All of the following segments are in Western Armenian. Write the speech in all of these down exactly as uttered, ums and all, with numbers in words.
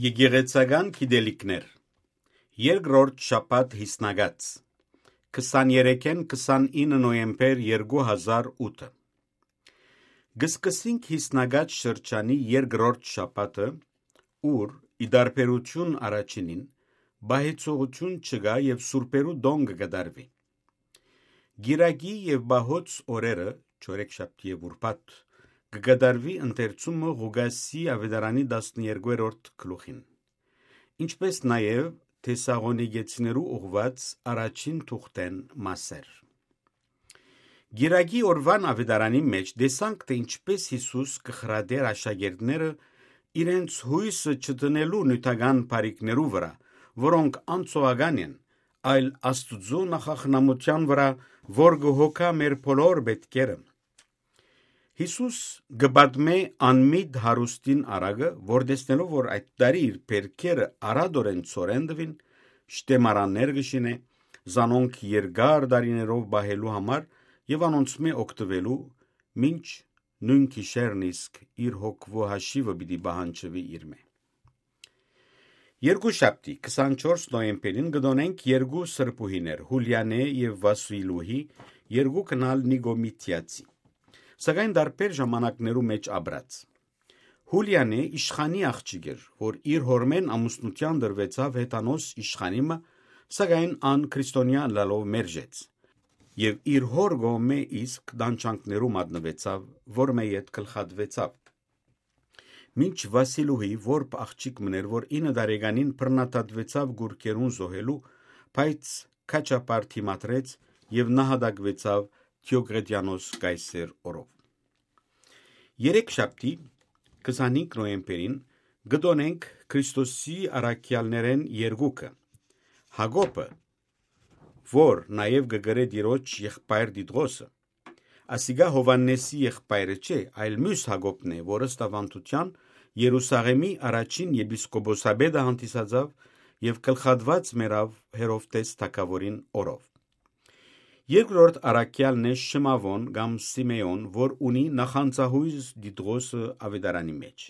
Եկեղեցական գիտելիքներ։ Երկրորդ շաբաթ յիսնակաց, քսաներեքէն քսանինը նոյեմբեր երկու հազար ութը։ Կը սկսենք յիսնակաց շրջանի երկրորդ շաբաթը, ուր, ի տարբերութիւն առաջինին, պահեցողութիւն չկայ եւ սուրբերու տոն կը կատարուի։ Կիրակի եւ պահոց օրերը, չորեքշաբթի եւ ուրբաթ, կը կատարուի ընթերցումը Ղուկասի աւետարանի տասներկուերորդ գլուխին, ինչպէս նաեւ Թեսաղոնիկեցիներու ուղղուած առաջին թուղթէն մասեր։ Կիրակի օրուան աւետարանի մէջ տեսանք, թէ ինչպէս Յիսուս կը խրատէր աշակերտները իրենց յոյսը չդնելու նիւթական բարիքներու վրայ, որոնք անցողական են, այլ Աստուծոյ նախախնամութեան վրայ, որ կը հոգայ մեր բոլոր պէտքերը։ Յիսուս կը պատմէ անմիտ հարուստին առակը, որ տեսնելով, որ այդ տարի իր պէրքերը արատորեն ցորեն տուին, շտեմարաններ կը շինէ, զանոնք երկար տարիներով պահելու համար եւ անոնցմէ օգտուելու, մինչ նոյն գիշերն իսկ իր հոգւոյ հաշիւը պիտի պահանջուի իրմէ։ Երկուշաբթի, քսանչորս նոյեմբերին կը տօնենք երկու սրբուհիներ, Յուլիանէ եւ Վասիլուհի, երկուքն ալ Նիկոմիթիացի, սակայն տարբեր ժամանակներու մէջ ապրած։ Յուլիանէ իշխանի աղջիկ էր, որ իր հօրմէն ամուսնութեան տրուեցաւ հեթանոս իշխանի մը, սակայն ան քրիստոնեայ ըլլալով մերժեց եւ իր հօր կողմէ իսկ տանջանքներու մատնուեցաւ, որ մէ յետ գլխատուեցաւ։ Մինչ Վասիլուհի որբ աղջիկ մըն էր, որ ինը տարեկանին բռնադատուեցաւ կուռքերուն զոհելու, բայց քաջապար դիմադրեց եւ նահատակուեցաւ Դիոկլետիանոս կայսեր օրով։ Երեքշաբթի, քսանհինգ նոյեմբերին, կը տօնենք Քրիստոսի առաքեալներէն երկուքը, Յակոբը, որ նաեւ կը կրէ Տիրոջ եղբայր Տիտղոսը, ասիկա Յովհաննէսի եղբայրը չէ, այլ միւս Յակոբն է, որ ըստ աւանդութեան Երուսաղէմի առաջին եպիսկոպոսապետը հանդիսացաւ եւ գլխատուած մեռաւ Հերովդէս թագաւորին օրով։ Երկրորդ առաքեալն է Շմաւոն կամ Սիմէոն, որ ունի նախանձահոյս Տիտղոսը աւետարանի մէջ։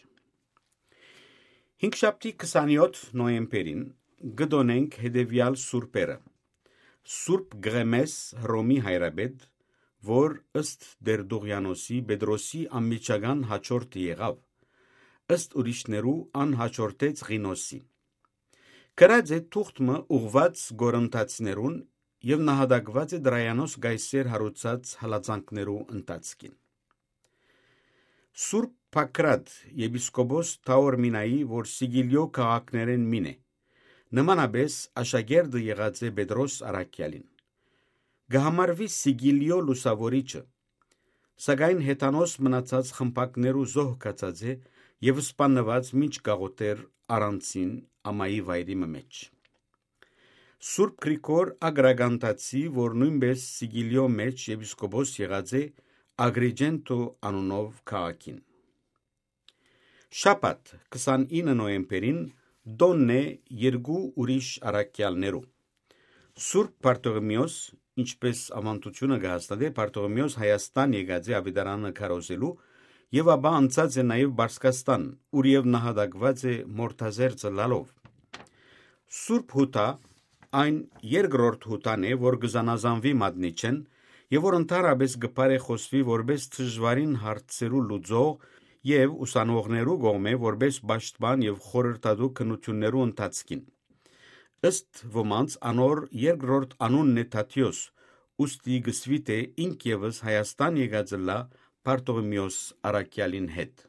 Հինգշաբթի, քսանյոթ նոյեմբերին, կը տօնենք հետեւեալ սուրբերը. Սուրբ Կղեմէս, Հռոմի հայրապետ, որ ըստ Տերտուղիանոսի Պետրոսի անմիջական յաջորդը եղաւ, ըստ ուրիշներու ան յաջորդեց Ղինոսին։ Գրած է թուղթ մը ուղղուած կորինթացիներուն եւ նահատակուած է Տրայանոս կայսեր յարուցած հալածանքներու ընթացքին։ Սուրբ Փակրատ, եպիսկոպոս Թաորմինայի, որ Սիկիլիոյ քաղաքներէն մին է, նմանապէս աշակերտը եղած է Պետրոս առաքեալին, կը համարուի Սիկիլիոյ լուսաւորիչը, սակայն հեթանոս մնացած խմբակներու զոհ գացած է եւ սպաննուած մինչ կաղոթէր առանցին ամայի վայրի մը մէջ։ Սուրբ Գրիգոր Ագրագանտացի, որ նոյնպէս Սիկիլիոյ մէջ եպիսկոպոս եղած է Ագրիջենտո անունով քաղաքին։ Շաբաթ, քսանինը նոյեմբերին, տօնն է երկու ուրիշ առաքեալներու։ Սուրբ Բարթողիմէոս, ինչպէս աւանդութիւնը կը հաստատէ, Բարթողիմէոս Հայաստան եկած է աւետարանը քարոզելու եւ ապա անցած է նաեւ Պարսկաստան, ուր եւ նահատակուած է մորթազերծ ըլլալով։ Սուրբ Յուդա այն երկրորդ Յուդան է, որ կը զանազանուի մատնիչէն եւ որ ընդհանրապէս կը բարեխօսուի որպէս դժուարին հարցերու լուծող եւ ուսանողներու կողմէ որպէս պաշտպան եւ խորհրդատու քննութիւններու ընթացքին։ Ըստ ոմանց, անոր երկրորդ անունն է Թադիոս, ուստի կը սուի թէ ինք եւս Հայաստան եկած ըլլայ Բարթողիմէոս առաքեալին հետ։